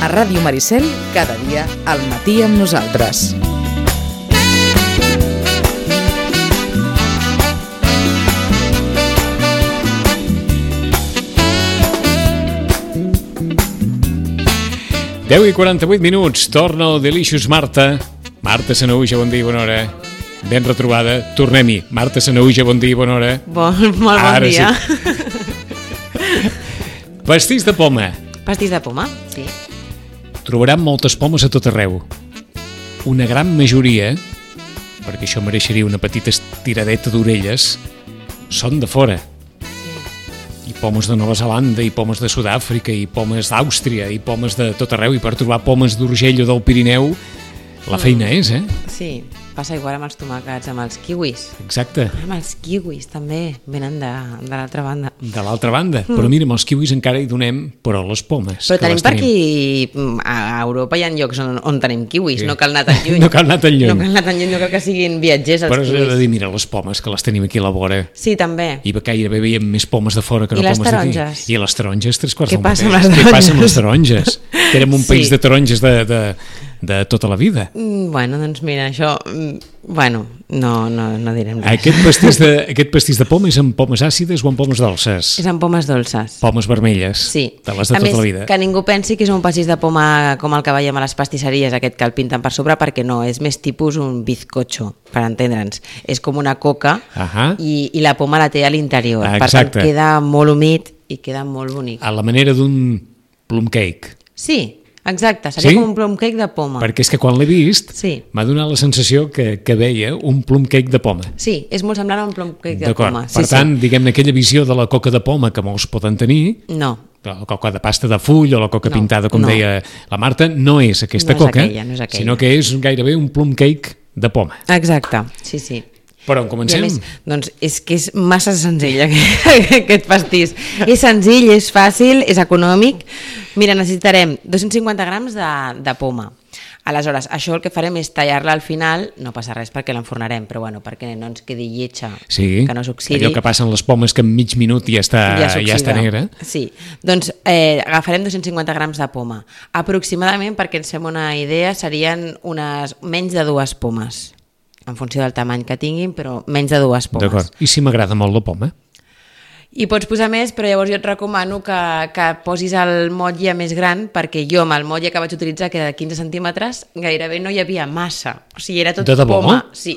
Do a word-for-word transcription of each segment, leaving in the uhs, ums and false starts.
A Ràdio Maricel, cada dia al matí amb nosaltres. deu i quaranta-vuit minuts, torna el Delicious Marta. Marta Sanahuja, bon dia i bona hora. Ben retrobada, tornem-hi. Marta Sanahuja, bon dia i bona hora. Bon, molt bon Ara dia. Sí. Pastís de poma. Pastís de poma, sí. Trobaran moltes pomes a tot arreu. Una gran majoria, perquè això mereixeria una petita estiradeta d'orelles, són de fora. I pomes de Nova Zelanda, i pomes de Sud-àfrica, i pomes d'Àustria, i pomes de tot arreu, i per trobar pomes d'Urgell o del Pirineu, la feina és, eh? Sí, passa igual amb els tomàquets, amb els kiwis. Exacte. Amb els kiwis també, venen de, de l'altra banda. De l'altra banda. Mm. Però mira, amb els kiwis encara hi donem, però les pomes. Però tenim per aquí, a Europa hi ha llocs on, on tenim kiwis, sí. No cal anar tan lluny. No cal anar tan lluny. No cal anar tan lluny, no cal que siguin viatgers els però kiwis. Però és de dir, mira, les pomes, que les tenim aquí a la vora. Sí, també. I gairebé veiem més pomes de fora que no I les pomes d'aquí. taronges. I les taronges, tres quarts Què del passa mateix. amb les Què passa amb les taronges? Que érem un Sí. país de taronges de, de, de tota la vida. Mm, Bueno, doncs mira, això... mm, Bueno, no, no, no direm res. Aquest pastís, de, aquest pastís de poma és amb pomes àcides o amb pomes dolces? És amb pomes dolces. Pomes vermelles, Sí. de les de a tota més, la vida. Que ningú pensi que és un pastís de poma com el que veiem a les pastisseries, aquest que el pinten per sobre, perquè no, és més tipus un bizcocho, per entendre'ns. És com una coca Ahà. i, i la poma la té a l'interior. Ah, per tant, exacte. queda molt humit i queda molt bonic. A la manera d'un plum cake. Sí, exacte, seria Sí? com un plum cake de poma. Perquè és que quan l'he vist Sí. m'ha donat la sensació que, que veia un plum cake de poma. Sí, és molt semblant a un plum cake de D'acord. poma. Sí, Per tant, sí. diguem-ne, aquella visió de la coca de poma que molts poden tenir, No, la coca de pasta de full o la coca No, pintada, com no. deia la Marta, no és aquesta No és coca, aquella, no és aquella. sinó que és gairebé un plum cake de poma. exacte, sí, sí. Però on I a comencem? més, doncs és que és massa senzill aquest, aquest pastís. És senzill, és fàcil, és econòmic. Mira, necessitarem dos-cents cinquanta grams de, de poma. Aleshores, això el que farem és tallar-la al final, no passa res perquè l'enfornarem, però bueno, perquè no ens quedi lletja, Sí, que no s'oxidi. allò que passa en les pomes que en mig minut ja està, ja s'oxida. està negra. Sí, doncs eh, agafarem dos-cents cinquanta grams de poma. Aproximadament, perquè ens fem una idea, serien unes menys de dues pomes, en funció del tamany que tinguin, però menys de dues pomes. D'acord. I si m'agrada molt la poma? I pots posar més, però llavors jo et recomano que, que posis el motlle més gran, perquè jo amb el motlle que vaig utilitzar, que era de quinze centímetres, gairebé no hi havia massa. O sigui, era tot De debò? poma. Sí,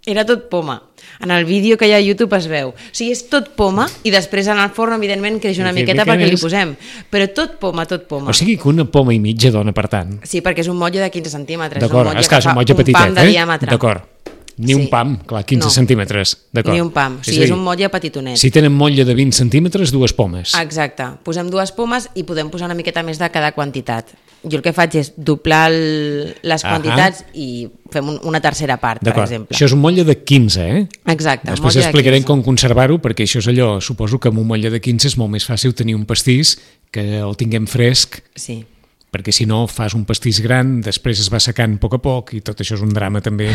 era tot poma. En el vídeo que hi ha a YouTube es veu. O sigui, és tot poma i després en el forn, evidentment, creix una I que miqueta mica perquè li és? posem. Però tot poma, tot poma. O sigui que una poma i mitja dona, per tant. Sí, perquè és un motlle de quinze centímetres. D'acord, és un és que és un fa motlle petitet, pam de eh? diàmetre. D'acord. Ni Sí. un pam, clar, quinze No. centímetres. D'acord. Ni un pam. O sigui, a és dir, un motlle petitonet. Si tenen motlle de vint centímetres, dues pomes. Exacte. Posem dues pomes i podem posar una miqueta més de cada quantitat. Jo el que faig és doblar el, les Ahà. quantitats i fem un, una tercera part, per D'acord. exemple. Això és un motlle de quinze, eh? Exacte. Després motlle de explicarem quinze. com conservar-ho, perquè això és allò, suposo que amb un motlle de quinze és molt més fàcil tenir un pastís que el tinguem fresc, Sí. perquè si no fas un pastís gran, després es va secant a poc a poc i tot això és un drama també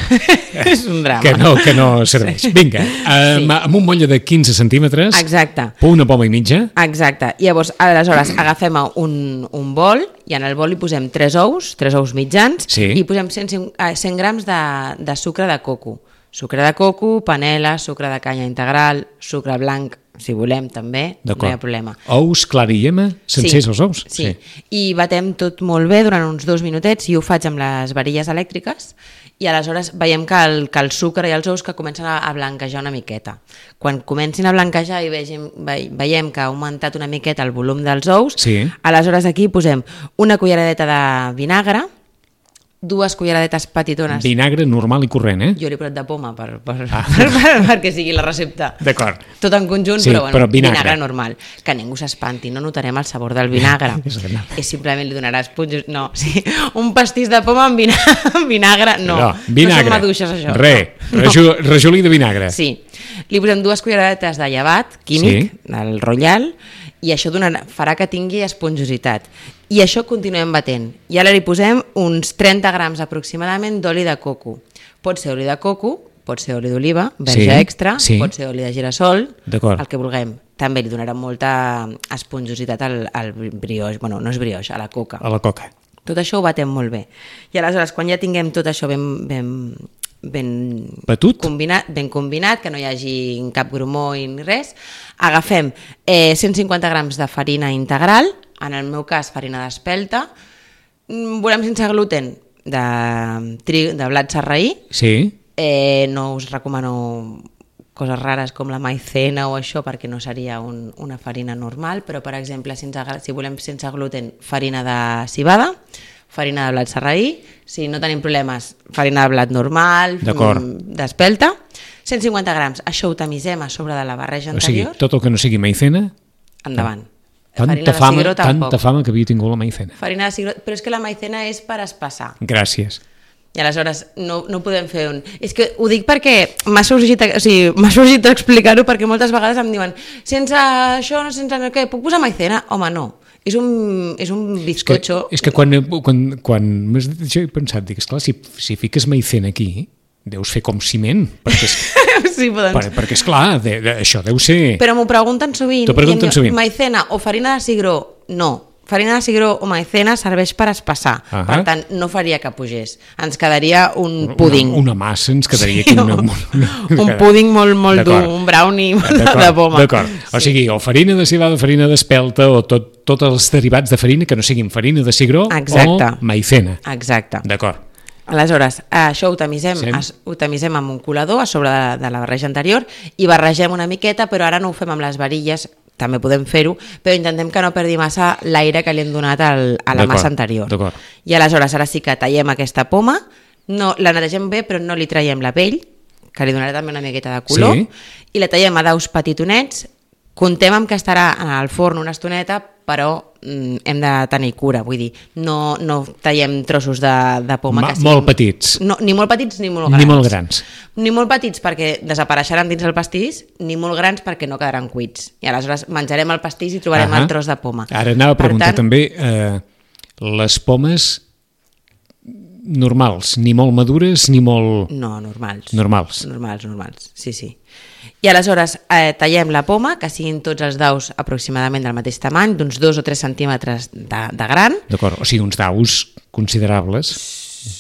És un drama. que no, que no serveix. Vinga, amb, Sí. amb un motlle de quinze centímetres, Exacte. una poma i mitja, Exacte. I llavors, aleshores, agafem un, un bol i en el bol hi posem tres ous, tres ous mitjans, Sí. i posem cent, cent grams de, de sucre de coco. Sucre de coco, panela, sucre de canya integral, sucre blanc, si volem també, no hi ha problema. Ous, clara i llema, sencers els ous? Sí. sí, i batem tot molt bé durant uns dos minutets i ho faig amb les varilles elèctriques i aleshores veiem que el, que el sucre i els ous que comencen a, a blanquejar una miqueta. Quan comencin a blanquejar i vegem, ve, veiem que ha augmentat una miqueta el volum dels ous, Sí. aleshores aquí posem una culleradeta de vinagre, dues culleradetes petitones. Vinagre normal i corrent, eh? Jo l'he posat de poma per, per, Ah. per, per, perquè sigui la recepta. D'acord. Tot en conjunt, Sí, però, bueno, però vinagre. vinagre normal. Que ningú s'espanti, no notarem el sabor del vinagre. És que no. És simplement li donaràs punxos. No, sí, un pastís de poma amb vinagre, amb vinagre no. no, vinagre. No són maduixes, això. Re, no. rajol, rajolí de vinagre. Sí. Li posem dues culleradetes de llevat químic, sí. del Royal, i això donarà, farà que tingui esponjositat. I això continuem batent. I ara li posem uns trenta grams aproximadament d'oli de coco. Pot ser oli de coco, pot ser oli d'oliva, verge Sí, extra, sí. pot ser oli de girassol, D'acord. el que vulguem. També li donarà molta esponjositat al, al brioix, bueno, no és brioix, a la coca. A la coca. Tot això ho batem molt bé. I aleshores, quan ja tinguem tot això ben, ben, ben, Batut? combinat, ben combinat, que no hi hagi cap grumó ni res, agafem eh, cent cinquanta grams de farina integral, en el meu cas farina d'espelta, volem sense gluten de, tri, de blat sarraí, Sí. eh, no us recomano coses rares com la maicena o això perquè no seria un, una farina normal, però per exemple si, ens, si volem sense gluten farina de civada, farina de blat sarraí, si no tenim problemes farina de blat normal, d'espelta, cent cinquanta grams, això ho tamisem a sobre de la barreja anterior. O sigui, tot el que no sigui maicena... Endavant. Tanta fama, tanta fama que havia tingut la maicena. Farina de cigró, però és que la maicena és per espassar. Gràcies. I aleshores no, no podem fer un... És que ho dic perquè m'ha sorgit, o sigui, m'ha sorgit explicar-ho perquè moltes vegades em diuen sense això, no sense què, puc posar maicena? Home, no. És un, és un bizcocho... És que, és que quan, quan, quan m'has dit això he pensat, dic, esclar, si, si fiques maicena aquí, deus fer com ciment, perquè, és, sí, doncs... per, perquè esclar, de, de, això deu ser... Però m'ho pregunten sovint. T'ho pregunten sovint. Maicena o farina de cigró? No. Farina de cigró o maicena serveix per espassar. Uh -huh. Per tant, no faria que pugés. Ens quedaria un púding. Una, una massa ens quedaria aquí. Una, una, una, un púding molt, molt dur, un brownie de poma. D'acord. Sí. O sigui, o farina de civada, farina d'espelta, o tot, tots els derivats de farina que no siguin farina de cigró. Exacte. O maicena. Exacte. D'acord. Aleshores, això ho tamisem, es, ho tamisem amb un colador a sobre de, de la barreja anterior i barregem una miqueta, però ara no ho fem amb les varilles, també podem fer-ho, però intentem que no perdi massa l'aire que li hem donat al, a la massa anterior. I aleshores, ara sí que tallem aquesta poma, no, la netegem bé, però no li traiem la pell, que li donarà també una miqueta de color, sí. I la tallem a daus petitonets, contem amb que estarà al forn una estoneta, però mm, hem de tenir cura, vull dir, no, no tallem trossos de, de poma Ma, que siguin... Molt petits. No, ni molt petits ni molt grans. Ni molt grans. Ni molt petits perquè desapareixeran dins el pastís, ni molt grans perquè no quedaran cuits. I aleshores menjarem el pastís i trobarem uh-huh. el tros de poma. Ara anava a preguntar tant... també, eh, les pomes normals, ni molt madures ni molt... No, normals. Normals. Normals, normals, sí, sí. I aleshores eh, tallem la poma, que siguin tots els daus aproximadament del mateix tamany, d'uns dos o tres centímetres de, de gran. D'acord, o sigui, uns daus considerables,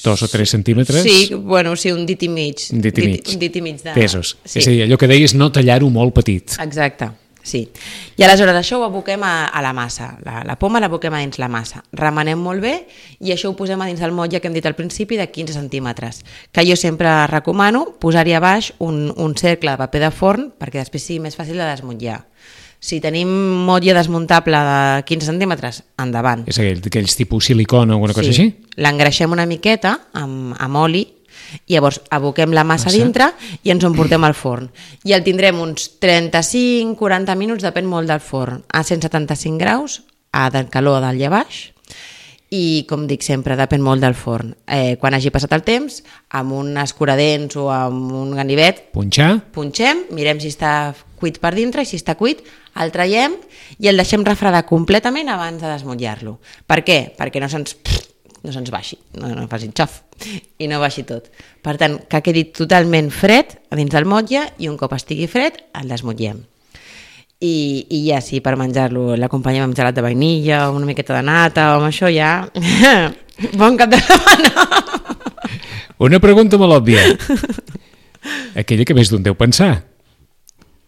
dos o tres centímetres. Sí, bueno, sí, un dit i mig. Un dit i mig. Dit, un dit i mig de... Pesos. Sí. És a dir, allò que deies, no tallar-ho molt petit. Exacte. Sí. I aleshores això ho aboquem a, a la massa. La, la poma l'aboquem a dins la massa. Remenem molt bé i això ho posem a dins del motlle que hem dit al principi de quinze centímetres. Que jo sempre recomano posar-hi a baix un, un cercle de paper de forn perquè després sigui més fàcil de desmutllar. Si tenim motlle desmuntable de quinze centímetres, endavant. És aquell, aquells tipus silicona o alguna cosa sí. Així? L'engreixem una miqueta amb, amb oli i llavors aboquem la massa, massa dintre i ens ho emportem al forn. I el tindrem uns trenta-cinc a quaranta minuts, depèn molt del forn, a cent setanta-cinc graus, a calor dalt i a baix, i com dic sempre, depèn molt del forn. Eh, quan hagi passat el temps, amb un escuradents o amb un ganivet, punxar, punxem, mirem si està cuit per dintre i si està cuit, el traiem i el deixem refredar completament abans de desmutllar-lo. Per què? Perquè no se'ns... no se'ns baixi, no, no faci xof i no baixi tot. Per tant, que quedi totalment fred a dins del motlle i un cop estigui fred el desmotllem. I, i ja sí, per menjar-lo l'acompanyem amb gelat de vainilla o una miqueta de nata o amb això ja... bon cap de setmana! Una pregunta molt òbvia. Aquella que més d'un deu pensar.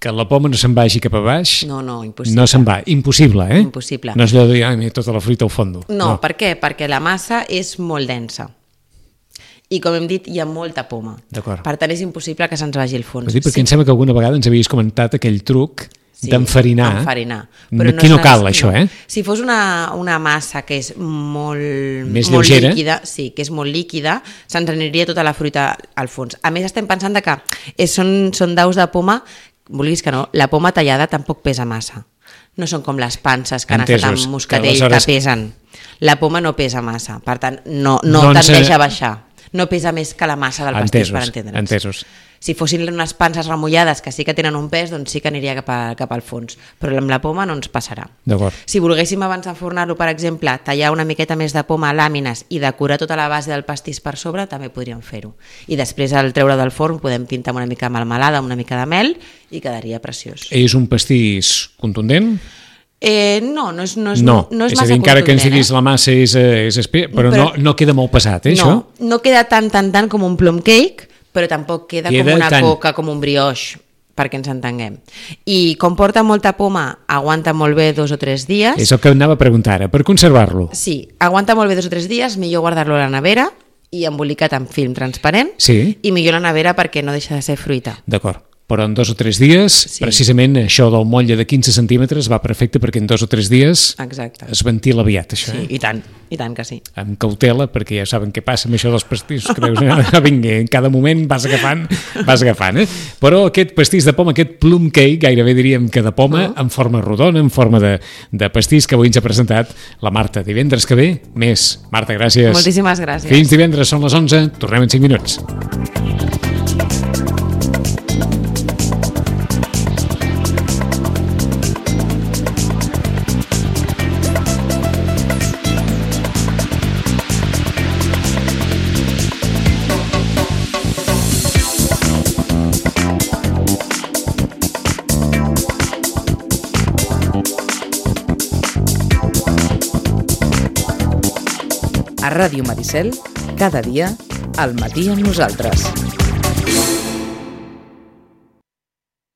Que la poma no se'n vagi cap a baix. No, no, impossible. No se'n va, impossible, eh? Impossible. No és allò de dir, ai, tota la fruita al fondo. No, no, per què? Perquè la massa és molt densa. I com hem dit, hi ha molta poma. D'acord. Per tant, és impossible que se'ns vagi al fons. Dir, perquè sí. Em sembla que alguna vegada ens havies comentat aquell truc sí, d'enfarinar. Enfarinar. Però aquí no, no cal, això, no. eh? Si fos una, una massa que és molt, més molt lleugera. líquida, sí, que és molt líquida, se'ns aniria tota la fruita al fons. A més, estem pensant que és, són, són daus de poma, vulguis que no, la poma tallada tampoc pesa massa. No són com les panses que han estat amb moscatell que, aleshores... que pesen. La poma no pesa massa, per tant, no, no doncs, tendeix a baixar. No pesa més que la massa del pastís, entesos, per entendre'ns. Entesos. Si fossin unes panses remullades que sí que tenen un pes, doncs sí que aniria cap, a, cap al fons. Però amb la poma no ens passarà. Si volguéssim abans d'enfornar-lo, per exemple, tallar una miqueta més de poma a làmines i decorar tota la base del pastís per sobre, també podríem fer-ho. I després, al treure del forn, podem pintar una mica de melmelada, una mica de mel, i quedaria preciós. És un pastís contundent? Eh, no, no és, no és, No, no és, és a massa dir, encara que ens contundent, diguis eh? la massa és, eh, és espe... però, Però- no, no queda molt pesat, eh, això? No, no queda tant, tant, tant com un plum cake, però tampoc queda, Queda com una tant. coca, com un brioche, perquè ens entenguem. I com porta molta poma, aguanta molt bé dos o tres dies. És el que anava a preguntar ara, per conservar-lo. Sí, aguanta molt bé dos o tres dies, millor guardar-lo a la nevera i embolicat en film transparent, Sí. i millor a la nevera perquè no deixa de ser fruita. D'acord. Però en dos o tres dies, Sí. precisament això del motlle de quinze centímetres va perfecte perquè en dos o tres dies Exacte. es ventila aviat, això. Sí, Eh? i tant, i tant que sí. Amb cautela, perquè ja saben què passa amb això dels pastissos, creus, ah, vinga, en cada moment vas agafant, vas agafant, eh? Però aquest pastís de poma, aquest plum cake, gairebé diríem que de poma, en forma rodona, en forma de, de pastís, que avui ens ha presentat la Marta. Divendres que ve, més. Marta, gràcies. Moltíssimes gràcies. Fins divendres, són les onze, tornem en cinc minuts. A Ràdio Maricel, cada dia, al matí amb nosaltres.